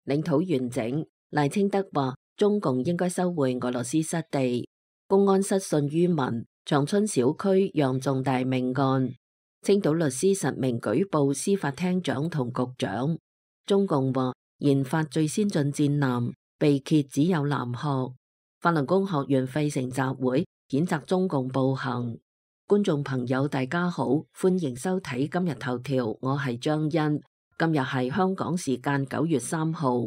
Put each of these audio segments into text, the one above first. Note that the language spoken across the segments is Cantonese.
領土完整。賴清德話中共應該收回俄羅斯失地。公安失信於民，長春小區釀重大命案。青島律師實名舉報司法廳長同局長。中共話研發最先進戰艦，被揭只有南學。法輪功學員費城集會譴責中共暴行。觀眾朋友大家好，歡迎收睇今日頭條，我係張欣。今日係香港時間9月3號。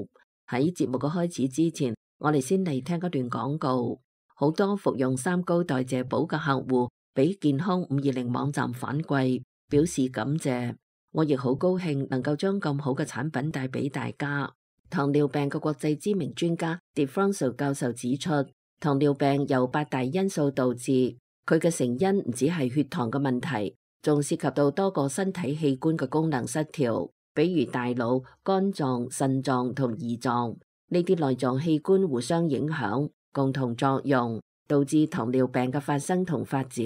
喺節目嘅開始之前，我哋先嚟聽一段廣告。好多服用3高代謝寶嘅客戶俾健康520網站反饋，表示感謝。我亦好高興能夠將咁好嘅產品帶俾大家。糖尿病嘅國際知名專家 DeFranco 教授指出，糖尿病由8大因素導致，佢嘅成因唔只係血糖嘅問題，仲涉及到多個身體器官嘅功能失調，比如大腦、肝臟、腎臟同胰臟，呢啲內臟器官互相影響，共同作用，導致糖尿病嘅發生同發展。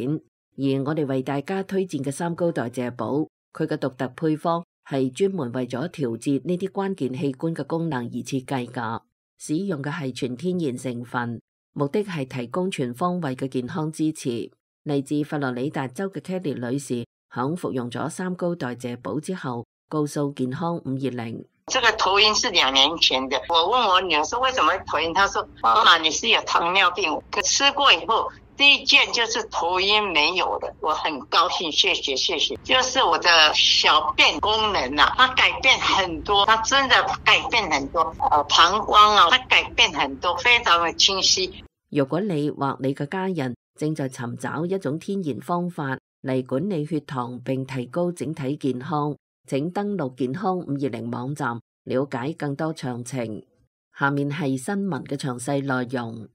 而我哋為大家推薦嘅3高代謝寶，佢嘅獨特配方係專門為咗調節呢啲關鍵器官嘅功能而設計㗎，使用嘅係全天然成分，目的係提供全方位嘅健康支持。嚟自佛羅里達州嘅 Kelly 女士響服用咗3高代謝寶之後，告訴健康520，這個頭暈是2年前的。我問我女兒說為什麼會頭暈，她說媽媽你是有糖尿病。可吃過以後，第一件就是頭暈沒有的，我很高興，謝謝。就是我的小便功能啊，它改變很多，它真的改變很多。膀胱啊，它改變很多，非常的清晰。如果你或你嘅家人正在尋找一種天然方法嚟管理血糖並提高整體健康，請登錄健康520網站了解更多詳情。下面係新聞嘅詳細內容。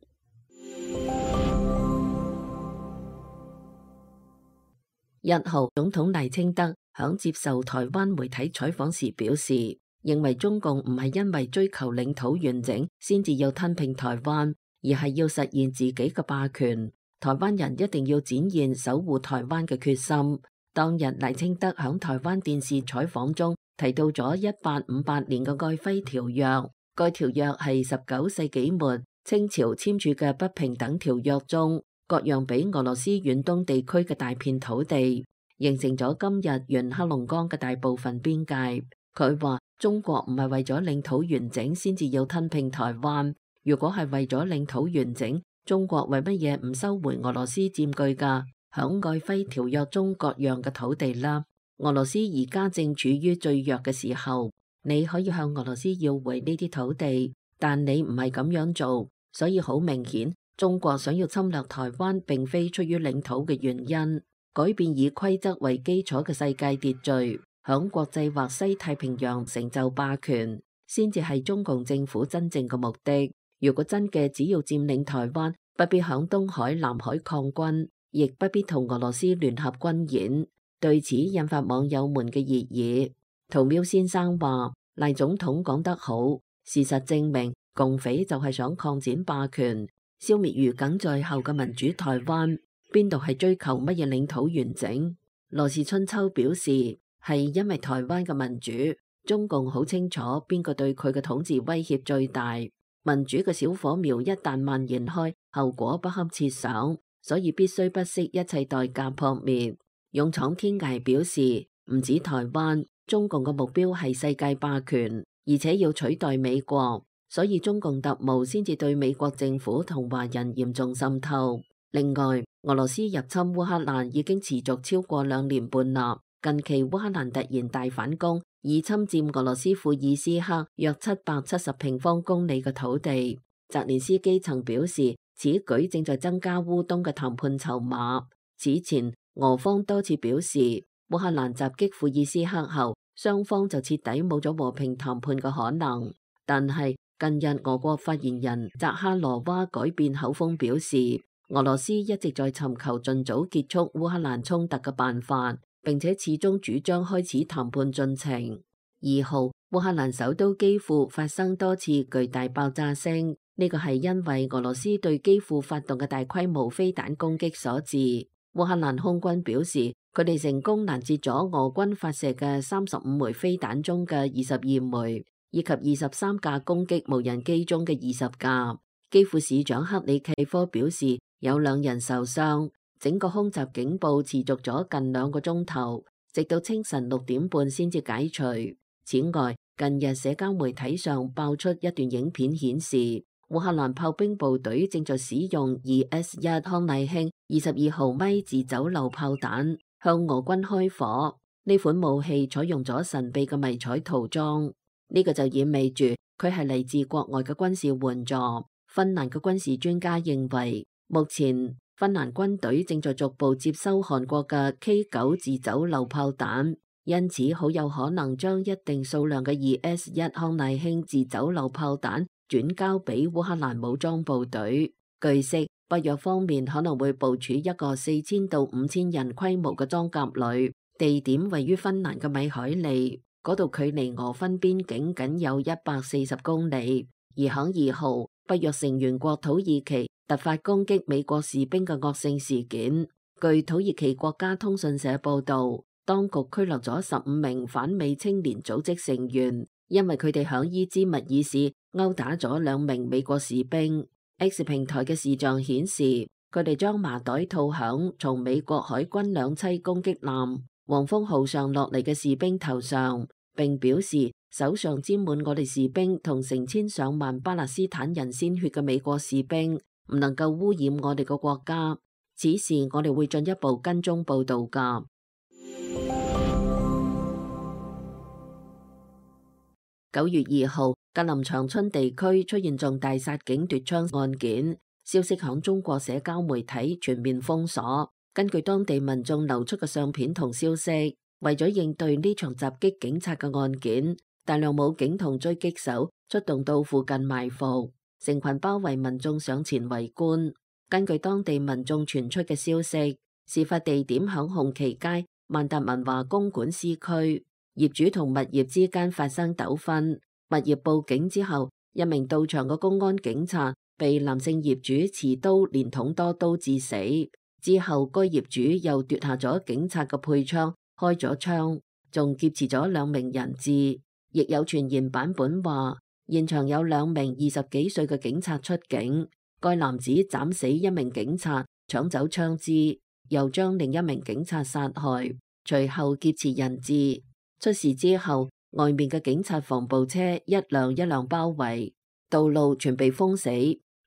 1號，總統賴清德響接受台灣媒體採訪時表示，認為中共唔係因為追求領土完整先至要吞併台灣，而係要實現自己嘅霸權。台灣人一定要展現守護台灣嘅決心。當日賴清德響台灣電視採訪中提到咗1858年嘅玒珪條約，該條約係19世紀末清朝簽署嘅不平等條約中，割讓俾俄羅斯遠東地區嘅大片土地，形成咗今日沿黑龍江嘅大部分邊界。佢話中國唔係為咗領土完整先至要吞併台灣，如果係為咗領土完整，中國為乜嘢唔收回俄羅斯佔據㗎響玒珪條約中割讓嘅土地啦？俄羅斯而家正處於最弱嘅時候，你可以向俄羅斯要回呢啲土地，但你唔係咁樣做，所以好明顯，中國想要侵略台灣並非出於領土嘅原因，改變以規則為基礎嘅世界秩序，響國際或西太平洋成就霸權，先至係中共政府真正嘅目的。如果真嘅只要佔領台灣，不必響東海、南海抗軍，亦不必同俄羅斯聯合軍演。對此引發網友們嘅熱議。屠喵先生話賴總統講得好，事實證明共匪就係想擴展霸權，消滅如鯁在後嘅民主台灣，邊度係追求乜嘢領土完整？羅氏春秋表示係因為台灣嘅民主，中共好清楚邊個對佢嘅統治威脅最大。民主嘅小火苗一旦蔓延開，後果不堪設想，所以必須不惜一切代價撲滅。勇闖天涯表示，唔止台灣，中共嘅目標係世界霸權，而且要取代美國，所以中共特務先至對美國政府同華人嚴重滲透。另外，俄羅斯入侵烏克蘭已經持續超過2年半啦。近期烏克蘭突然大反攻，以侵佔俄羅斯庫爾斯克約770平方公里嘅土地。澤連斯基曾表示，此舉正在增加烏東嘅談判籌碼。此前，俄方多次表示，烏克蘭襲擊庫爾斯克後，雙方就徹底冇咗和平談判嘅可能。但係近日，俄國發言人扎哈羅娃改變口風，表示俄羅斯一直在尋求盡早結束烏克蘭衝突嘅辦法，並且始終主張開始談判進程。2號，烏克蘭首都基輔發生多次巨大爆炸聲，呢個係因為俄羅斯對基輔發動嘅大規模飛彈攻擊所致。烏克蘭空軍表示，佢哋成功攔截咗俄軍發射嘅35枚飛彈中嘅22枚，以及23架攻擊無人機中嘅20架。基輔市長克里契科表示有2人受傷。整個空襲警報持續咗近2個鐘頭，直到清晨6點半先至解除。此外，近日社交媒體上爆出一段影片，顯示烏克蘭炮兵部隊正在使用 2S1 康乃馨22毫米自走榴炮彈向俄軍開火。呢款武器採用咗神秘嘅迷彩塗裝，呢個就意味住佢係嚟自國外嘅軍事援助。芬蘭嘅軍事專家認為，目前芬蘭軍隊正在逐步接收韓國嘅 K9 自走榴炮彈，因此好有可能將一定數量嘅 2S1 康乃馨自走榴炮彈轉交俾烏克蘭武裝部隊。據悉，北約方面可能會部署一個4000到5000人規模嘅裝甲旅，地點位於芬蘭嘅米海利，嗰度距離俄芬邊境僅有140公里。而響2號，北約成員國土耳其突發攻擊美國士兵嘅惡性事件。據土耳其國家通訊社報道，當局拘留咗15名反美青年組織成員，因為佢哋響伊茲密爾市毆打咗2名美國士兵。X 平台嘅視像顯示，佢哋將麻袋套響從美國海軍2棲攻擊艦黃蜂號上落嚟嘅士兵頭上，並表示手上沾滿我哋士兵同成千上萬巴勒斯坦人鮮血嘅美國士兵唔能夠污染我哋個國家。此事我哋會進一步跟蹤報道㗎。9月2號，格林長春地區出現重大殺警奪槍案件，消息響中國社交媒體全面封鎖。根據當地民眾流出嘅相片同消息，為咗應對呢場襲擊警察嘅案件，大量武警同狙擊手出動到附近埋伏，成群包圍民眾上前圍觀。根據當地民眾傳出嘅消息，事發地點響紅旗街萬達文華公館 C 區，業主同物業之間發生糾紛，物業報警之後，一名到場嘅公安警察被男性業主持刀連捅多刀致死。之後該業主又奪下咗警察嘅配槍，開咗槍，仲劫持咗2名人質。亦有傳言版本話，現場有2名20幾歲嘅警察出警，該男子斬死1名警察，搶走槍支，又將另1名警察殺害，隨後劫持人質。出事之後，外面嘅警察防暴車一輛一輛包圍，道路全被封死。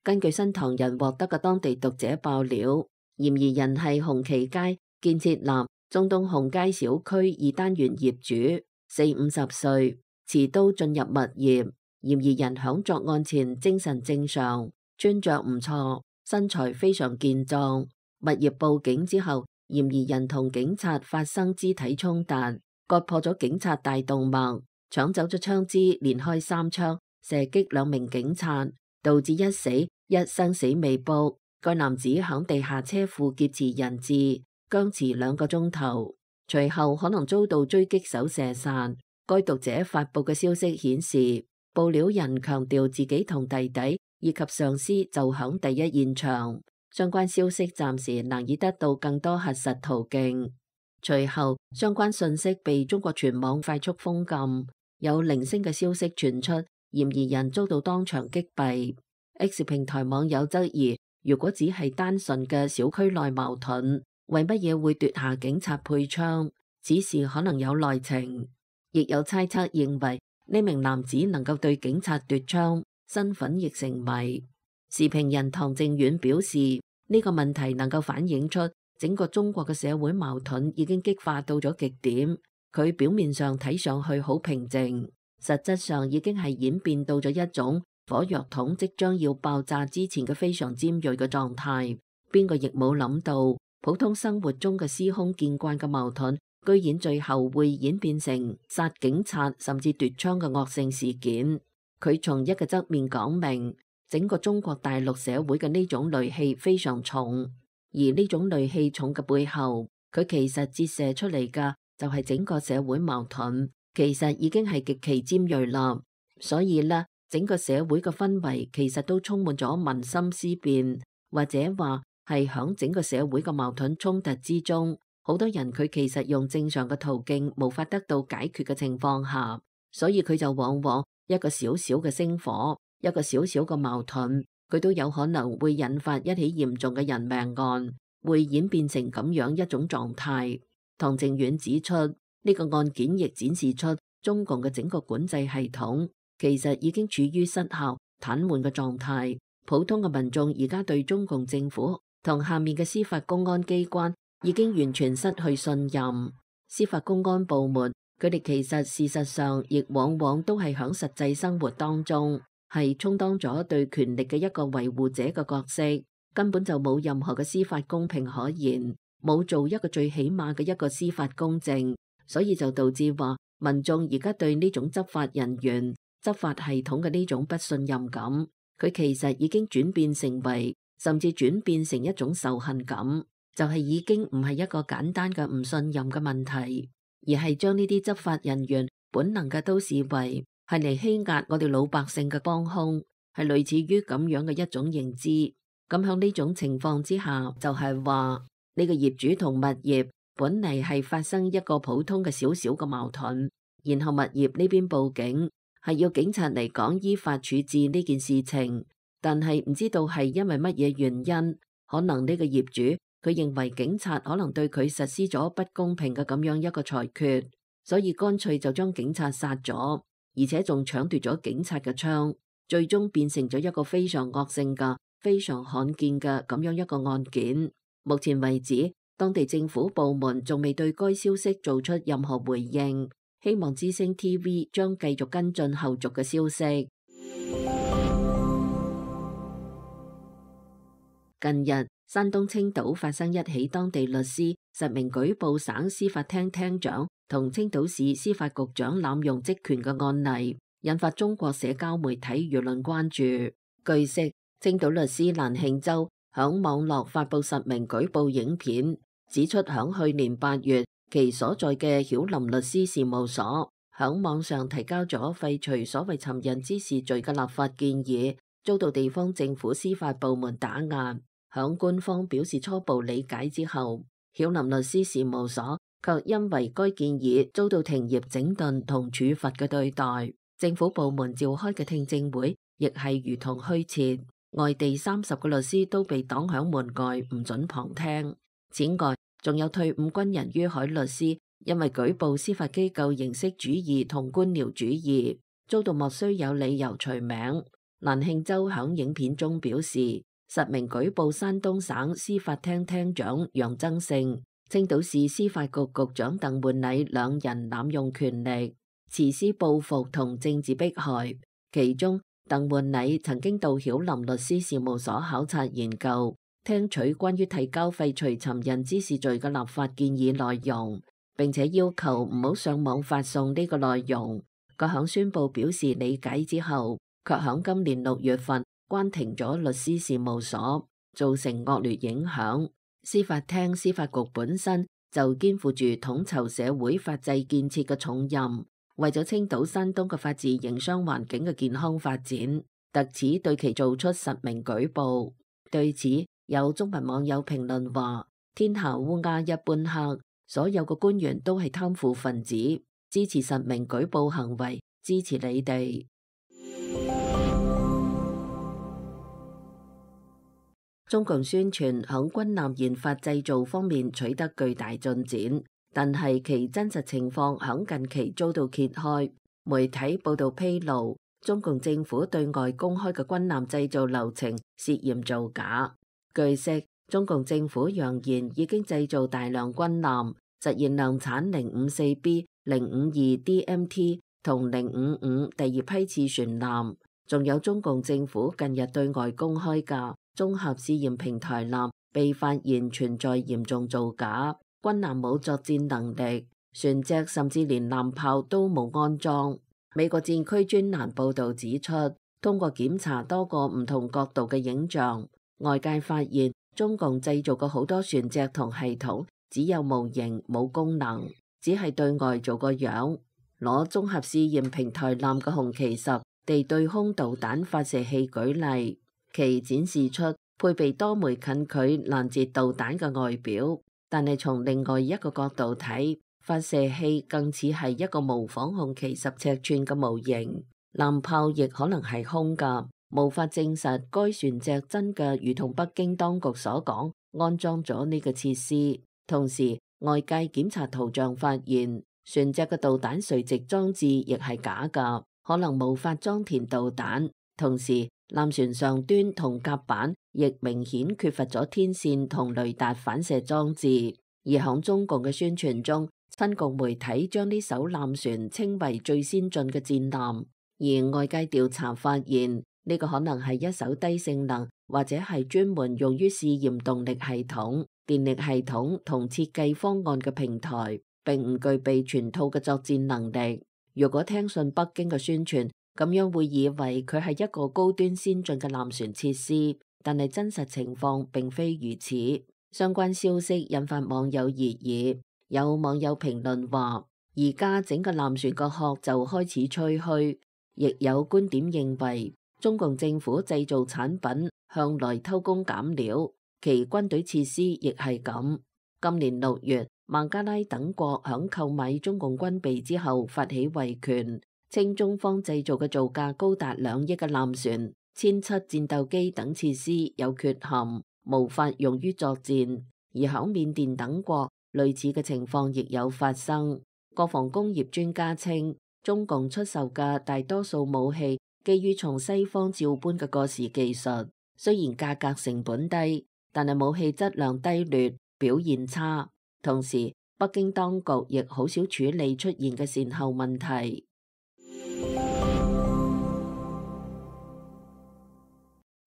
根據新唐人獲得嘅當地讀者爆料，嫌疑人係紅旗街建設立中東紅街小區2單元業主，40-50歲，持刀進入物業。嫌疑人響作案前精神正常，穿着唔錯，身材非常健壯。物業報警之後，嫌疑人同警察發生肢體衝突，割破咗警察大動脈，搶走咗槍支，連開3槍，射擊2名警察，導致1死1生死未卜。該男子響地下車庫劫持人質，僵持2個鐘頭，隨後可能遭到狙擊手射殺。該讀者發布嘅消息顯示，報料人強調自己同弟弟以及上司就響第一現場，相關消息暫時難以得到更多核實途徑。隨後，相關信息被中國全網快速封禁，有零星嘅消息傳出，嫌疑人遭到當場擊斃。X 平台網友質疑，如果只係單純嘅小區內矛盾，為乜嘢會奪下警察配槍？此事可能有內情。亦有猜測認為呢名男子能夠對警察奪槍，身份亦成謎。時評人唐正遠表示，呢個問題能夠反映出整個中國嘅社會矛盾已經激化到咗極點。佢表面上睇上去好平靜，實質上已經係演變到咗一種火藥桶即將要爆炸之前嘅非常尖銳嘅狀態。邊個亦冇諗到，普通生活中嘅司空見慣嘅矛盾，居然最後會演變成殺警察甚至奪槍嘅惡性事件。佢從一個側面講明，整個中國大陸社會嘅呢種戾氣非常重，而呢種戾氣重嘅背後，佢其實折射出嚟嘅就係整個社會矛盾，其實已經係極其尖銳啦。所以呢，整個社會嘅氛圍其實都充滿咗民心思變，或者話係響整個社會嘅矛盾衝突之中，好多人佢其實用正常嘅途徑無法得到解決嘅情況下，所以佢就往往一個小小嘅星火，一個小小嘅矛盾，佢都有可能會引發一起嚴重嘅人命案，會演變成咁樣一種狀態。唐靖遠指出，呢個案件亦展示出中共嘅整個管制系統其實已經處於失效、癱瘓嘅狀態。普通嘅民眾而家對中共政府同下面嘅司法公安機關已經完全失去信任。司法公安部門佢哋其實事實上亦往往都係響實際生活當中係充當咗對權力嘅一個維護者嘅角色，根本就冇任何嘅司法公平可言，冇做一個最起碼嘅一個司法公正，所以就導致話民眾而家對呢種執法人員、執法系統嘅呢種不信任感，佢其實已經轉變成為，甚至轉變成一種仇恨感，就係已經唔係一個簡單嘅唔信任嘅問題，而係將呢啲執法人員本能嘅都視為係嚟欺壓我哋老百姓嘅幫兇，係類似於咁樣嘅一種認知。咁響呢種情況之下，就係話呢個業主同物業本嚟係發生一個普通嘅小小嘅矛盾，然後物業呢邊報警，係要警察嚟講依法處置呢件事情，但係唔知道係因為乜嘢原因，可能呢個業主佢認為警察可能對佢實施咗不公平嘅咁樣一個裁決，所以乾脆就將警察殺咗，而且仲搶奪咗警察嘅槍，最終變成咗一個非常惡性嘅、非常罕見嘅咁樣一個案件。目前為止，當地政府部門仲未對該消息做出任何回應，希望之聲 TV 將繼續跟進後續嘅消息。近日，山東青島發生一起當地律師實名舉報省司法廳廳長同青島市司法局長濫用職權嘅案例，引發中國社交媒體輿論關注。據悉，青島律師蘭慶洲響網絡發布實名舉報影片，指出響去年8月，其所在嘅曉林律師事務所響網上提交咗廢除所謂尋釁滋事罪嘅立法建議，遭到地方政府司法部門打壓。響官方表示初步理解之後，曉林律師事務所卻因為該建議遭到停業整頓同處罰嘅對待，政府部門召開嘅聽證會亦係如同虛設，外地30個律師都被擋響門外，唔准旁聽。此外，仲有退伍軍人于海律師因為舉報司法機構形式主義同官僚主義，遭到莫須有理由除名。蘭慶洲響影片中表示，實名舉報山東省司法廳廳長楊增勝、青島市司法局局長鄧煥禮兩人濫用權力，實施報復同政治迫害。其中，鄧煥禮曾經到曉林律師事務所考察研究，聽取關於提交廢除尋釁滋事罪嘅立法建議內容，並且要求唔好上網發送呢個內容。佢響宣布表示理解之後，卻響今年6月份關停咗律師事務所，造成惡劣影響。司法廳、司法局本身就肩負住統籌社會法制建設嘅重任，為咗青島、山東嘅法治營商環境嘅健康發展，特此對其做出實名舉報。對此，有中文網友評論話：天下烏鴉一般黑，所有嘅官員都係貪腐分子，支持實名舉報行為，支持你哋。中共宣傳響軍艦研發製造方面取得巨大進展，但係其真實情況響近期遭到揭開。媒體報道披露，中共政府對外公開嘅軍艦製造流程涉嫌造假。據悉，中共政府揚言已經製造大量軍艦，實現量產 054B、052 DMT 同055第二批次船艦。仲有中共政府近日對外公開嘅綜合試驗平台艦被發現存在嚴重造假，軍艦冇作戰能力，船隻甚至連艦炮都冇安裝。美國戰區專欄報導指出，通過檢查多個唔同角度嘅影像，外界發現中共製造嘅好多船隻同系統只有模型冇功能，只係對外做個樣。攞綜合試驗平台艦嘅紅旗10地對空導彈發射器舉例，其展示出配備多枚近距攔截導彈嘅外表，但係從另外一個角度睇，發射器更似係一個模仿紅旗10尺寸嘅模型。艦炮亦可能係空㗎，無法證實該船隻真嘅如同北京當局所講安裝咗呢個設施。同時，外界檢查圖像發現，船隻嘅導彈垂直裝置亦係假㗎，可能無法裝填導彈。同時，艦船上端同甲板亦明顯缺乏咗天線同雷達反射裝置。而響中共嘅宣傳中，親共媒體將呢艘艦船稱為最先進嘅戰艦。而外界調查發現，呢個可能係一艘低性能或者係專門用於試驗動力系統、電力系統同設計方案嘅平台，並唔具備全套嘅作戰能力。如果聽信北京嘅宣傳，咁樣會以為佢係一個高端先進嘅艦船設施，但係真實情況並非如此。相關消息引發網友熱議，有網友評論話：而家整個艦船個殼就開始吹噓。亦有觀點認為，中共政府製造產品向來偷工減料，其軍隊設施亦係咁。今年6月，孟加拉等國響購買中共軍備之後發起維權，稱中方製造嘅造價高達2億嘅艦船、殲7戰鬥機等設施有缺陷，無法用於作戰。而響緬甸等國，類似嘅情況亦有發生。國防工業專家稱，中共出售嘅大多數武器基於從西方照搬嘅過時技術，雖然價格成本低，但係武器質量低劣，表現差。同時，北京當局亦好少處理出現嘅善後問題。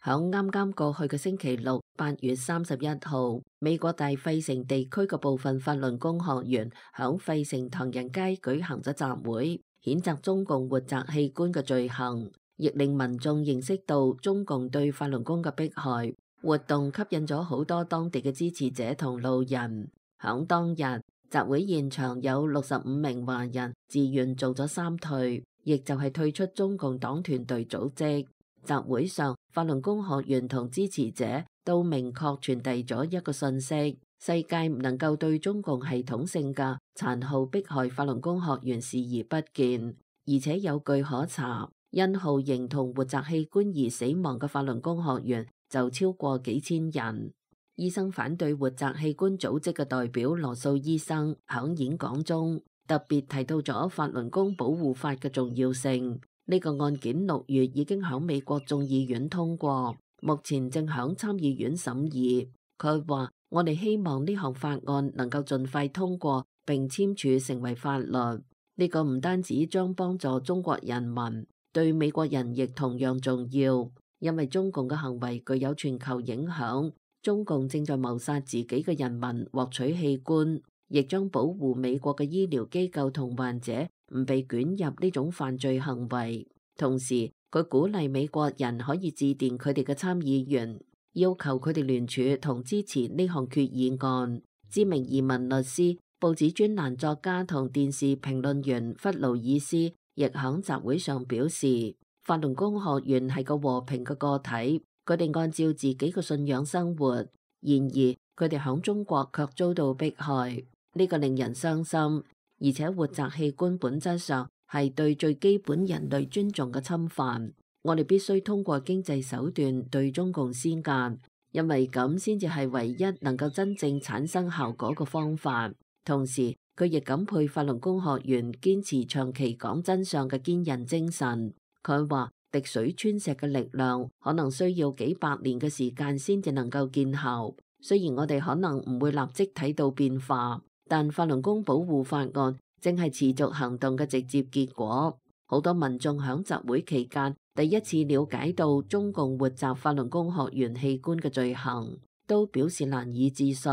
響啱啱過去嘅星期六，8月31號，美國大費城地區嘅部分法輪功學員響費城唐人街舉行咗集會，譴責中共活摘器官嘅罪行，亦令民眾認識到中共對法輪功嘅迫害。活動吸引咗好多當地嘅支持者同路人。響當日，集會現場有65名華人自願做咗3退，亦就係退出中共黨團隊組織。集會上，法輪功學員同支持者都明確傳遞咗一個信息：世界唔能夠對中共系統性嘅殘酷迫害法輪功學員視而不見，而且有據可查，因酷刑同活摘器官而死亡嘅法輪功學員就超過幾千人。醫生反對活摘器官組織嘅代表羅素醫生響演講中特別提到咗法輪功保護法嘅重要性。呢個案件6月已經響美國眾議院通過，目前正響參議院審議。佢話：我哋希望呢項法案能夠盡快通過並簽署成為法律。呢個唔單止將幫助中國人民，對美國人亦同樣重要，因為中共嘅行為具有全球影響。中共正在謀殺自己嘅人民獲取器官，亦將保護美國嘅醫療機構同患者唔被捲入呢種犯罪行為。同時，佢鼓勵美國人可以致電佢哋嘅參議員，要求佢哋聯署同支持呢項決議案。知名移民律師、報紙專欄作家同電視評論員弗勞爾斯亦響集會上表示，法輪功學員係個和平嘅個體，佢哋按照自己嘅信仰生活。然而，佢哋響中國卻遭到迫害，呢個令人傷心。而且活摘器官本質上係對最基本人類尊重嘅侵犯，我哋必須通過經濟手段對中共施壓，因為咁先至係唯一能夠真正產生效果嘅方法。同時，佢亦感佩法輪功學員堅持長期講真相嘅堅韌精神。佢話：滴水穿石嘅力量可能需要幾百年嘅時間先至能夠見效。雖然我哋可能唔會立即睇到變化，但法輪功保護法案正係持續行動嘅直接結果。好多民眾響集會期間第一次了解到中共活摘法輪功學員器官嘅罪行，都表示難以置信。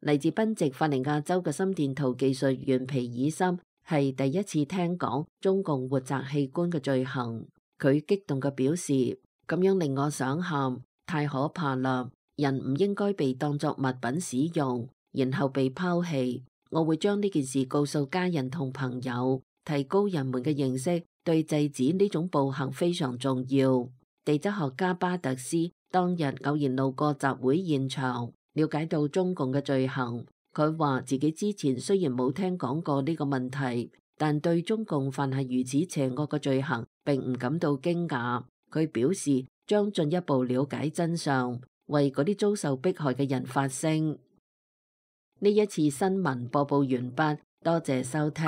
嚟自賓夕法尼亞州嘅心電圖技術員皮爾森係第一次聽講中共活摘器官嘅罪行，佢激動嘅表示：咁樣令我想喊，太可怕啦！人唔應該被當作物品使用，然後被拋棄。我會將呢件事告訴家人同朋友，提高人們嘅認識，對制止呢種暴行非常重要。地質學家巴特斯當日偶然路過集會現場，了解到中共嘅罪行。佢話自己之前雖然冇聽講過呢個問題，但對中共犯下如此邪惡嘅罪行並唔感到驚訝。佢表示將進一步了解真相，為嗰啲遭受迫害嘅人發聲。呢一次新聞播報完畢，多謝收聽。